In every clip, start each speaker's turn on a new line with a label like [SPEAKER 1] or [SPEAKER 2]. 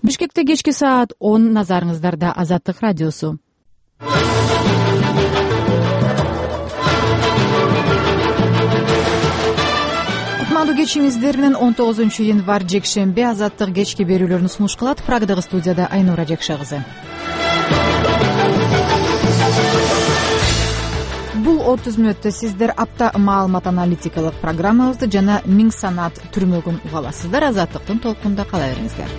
[SPEAKER 1] Бишкекте кечки саат 10 назарыңыздарда Азаттык радиосу. Кутмандуу кечиңиздер менен 19-январь жекшемби Азаттык кечки берүүлөрүн сунуш кылат. Прагдагы студияда Айнура Жекша кызы. Бул 30 мүнөттө сиздер апта маалымат аналитикалык программабызды жана Миң санат түрмөгүн уга аласыздар. Азаттыктын толкунда кала бериңиздер.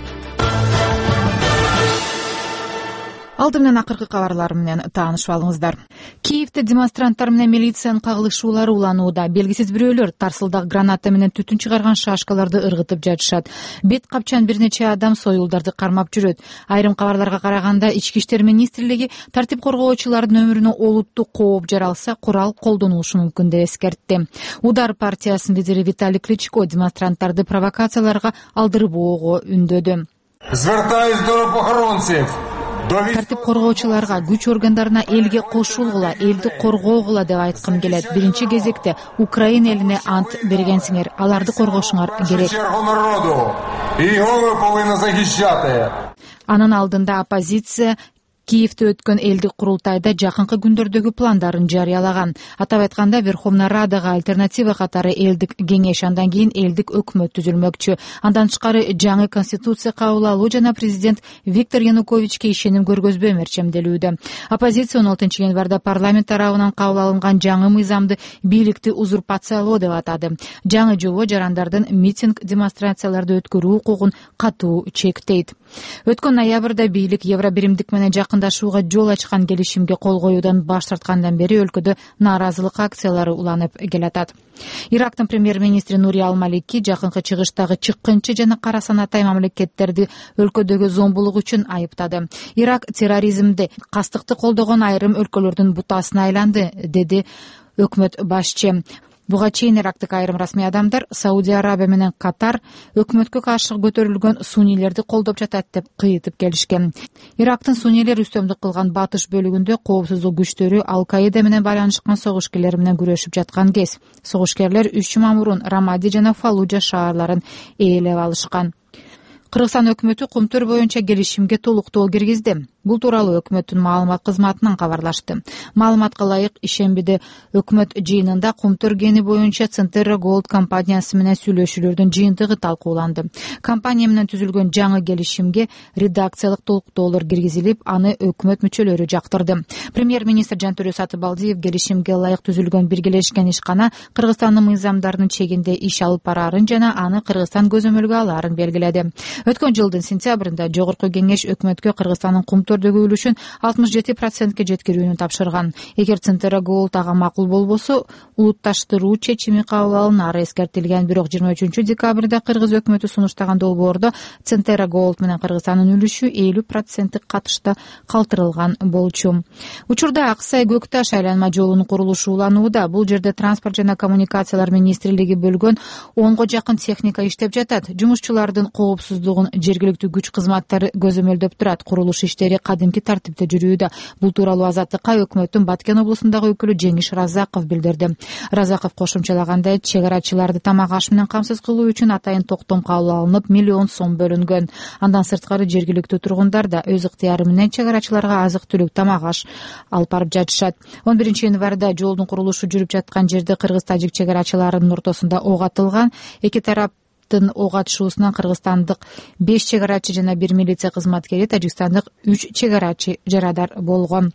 [SPEAKER 1] Алды менен акыркы кабарлар менен таанышып алыңыздар. Киевде демонстранттар менен милициянын кагылышуулары уланууда. Белгисиз бирөөлөр тарсылдак граната менен түтүн чыгарган шашкаларды ыргытып жатышат. Бет капчан бир нече адам союлдарды кармап жүрөт. Айрым кабарларга караганда Ички иштер министрлиги тартип коргоочулардын өмүрүнө олуттуу кооп жаралса, курал колдонулушу мүмкүн деп эскертти. Удар партиясынын лидери Виталий Кличко демонстранттарды провокацияларга алдырбоого үндөдү.
[SPEAKER 2] Звертаюсь до правоохранцев.
[SPEAKER 1] Тартип коргоочуларга, күч органдарына элге кошулгула, элди коргоогула деп айткым келет. Биринчи кезекте Украина элине ант бергенсиңер, аларды коргошуңар керек. Анын алдында оппозиция Киевде өткөн элдик курултайда жакынкы күндөрдөгү пландарын жарыялаган. Атап айтканда, Верховная Радага альтернатива катары элдик кеңеш, андан кийин элдик өкмөт түзүлмөкчү. Андан тышкары жаңы конституция кабыл алуу жана президент Виктор Януковичке ишеним көргөзбөө мерчемделүүдө. Оппозиция 16 январда парламент тарабынан кабыл алынган жаңы мыйзамды бийликти узурпациялоо деп атады. Жаңы жобо жарандардын митинг, демонстрацияларды өткөрүү укугун катуу чектейт. Өткөн ноябрда бийлик Евробиримдик менен жакындашууга жол ачкан келишимге кол коюудан баш тарткандан бери өлкөдө нааразылык акциялары уланып келатат. Ирактын премьер-министри Нури Ал-Малики жакынкы чыгыштагы чыккынчы жана кара санатай мамлекеттерди өлкөдөгү зомбулук үчүн айыптады. Ирак терроризмди, кастыкты колдогон айрым өлкөлөрдүн бутасына айланды, деди өкмөт башчы. Буга чейин Ирактык айрым расмий адамдар Саудия Арабия менен Катар өкмөткө каршы көтөрүлгөн суннийлерди колдоп жатат деп кыйытып келишкен. Ирактын суннийлер үстөмдүк кылган батыш бөлүгүндө коопсуздук күчтөрү Ал-Каида менен байланышкан согушкерлер менен күрөшүп жаткан кез. Согушкерлер 3 жума мурун Рамади жана Фаллужа шаарларын ээлеп алышкан. Кыргызстан өкмөтү Кумтөр боюнча келишимге толуктоо киргизди. Бул тууралуу өкмөттүн маалымат кызматынан кабарлашты. Маалыматка ылайык, ишембиде өкмөт жыйынында Кумтөр кени боюнча Центерра Голд компаниясы менен сүйлөшүүлөрдүн жыйынтыгы талкууланды. Компания менен түзүлгөн жаңы келишимге редакциялык толуктоолор киргизилип, аны өкмөт мүчөлөрү жактырды. Премьер-министр Жантөрө Сатыбалдиев келишимге ылайык түзүлгөн биргелешкен ишкана Кыргызстандын мыйзамдарынын чегинде иш алып бараарын жана аны Кыргызстан көзөмөлгө алаарын белгиледи. Өткөн жылдын сентябрында Жогорку кеңеш өкмөткө Кыргызстандын Кумтөрдөгү үлүшүн 67%ке жеткирүүнү тапшырган. Эгер Центерра Голд ага макул болбосо, улутташтыруу чечими кабыл алынары эскертилген. Бирок 23 декабрда Кыргыз өкмөтү сунуштаган долбоордо Центерра Голд менен Кыргызстандын үлүшү 50% катышта калтырылган болчу. Учурда Аксай Көкташ айланма жолунун курулушу уланууда. Бул жерде транспорт жана коммуникациялар министрлиги бөлгөн 10го жакын техника иштеп жатат. Жумушчулардын коопсуздугун жергиликтүү күч кызматтары көзөмөлдөп турат. Курулуш иштери кадимки тартипте жүрүүдө. Бул тууралуу Азаттыкка өкмөттүн Баткен облусундагы өкүлү Жеңиш Разаков билдирди. Разаков кошумчалагандай, чегарачыларды тамак аш менен камсыз кылуу үчүн атайын токтом кабыл алынып, миллион сом бөлүнгөн. Андан сырткары жергиликтүү тургундар да өз ыктыяры менен чегарачыларга азык-түлүк, тамак аш алып барып жатышат. 11 январда жолдун курулушу жүрүп жаткан жерде кыргыз-тажик чегарачыларынын ортосунда ок атылган. Эки тарап ок атышуусунан кыргызстандык 5 чегарачы жана 1 милиция кызматкери, тажикстандык 3 чегарачы жарадар болгон.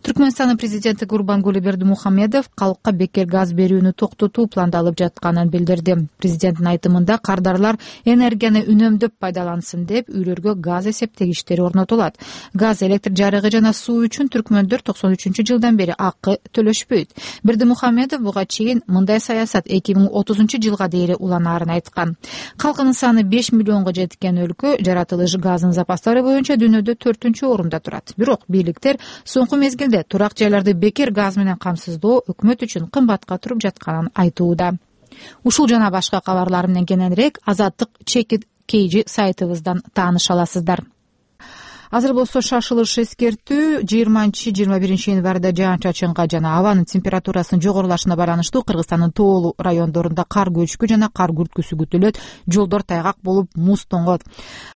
[SPEAKER 1] Түркмөнстандын президенти Гурбангулы Бердимухамедов калкка бекер газ берүүнү токтотуу пландалып жатканын билдирди. Президенттин айтымында кардарлар энергияны үнөмдөп пайдалансын деп үйлөргө газ эсептегичтери орнотулат. Газ, электр жарыгы жана суу үчүн түркмөндөр 93-жылдан бери акы төлөшпөйт. Бердимухамедов буга чейин мындай саясат 2030 жылга дейин уланаарын айткан. Калкынын саны 5 миллионго жеткен өлкө жаратылыш газынын запастары боюнча дүйнөдө 4-орунда турат. Бирок бийликтер соңку мезгилде турак жайларды бекер газ менен камсыздоо өкмөт үчүн кымбатка туруп жатканын айтууда. Ушул жана башка кабарлар менен кененирээк Азаттык чекит сайтыбыздан тааныша аласыздар. Азыр болсо шашылыш эскертүү 20-21 январда жаан-чачынга жана абанын температурасынын жогорулашына байланыштуу Кыргызстандын тоолуу райондорунда кар көчкү жана кар күрткүсү күтүлөт. Жолдор тайгак болуп, муз тоңот.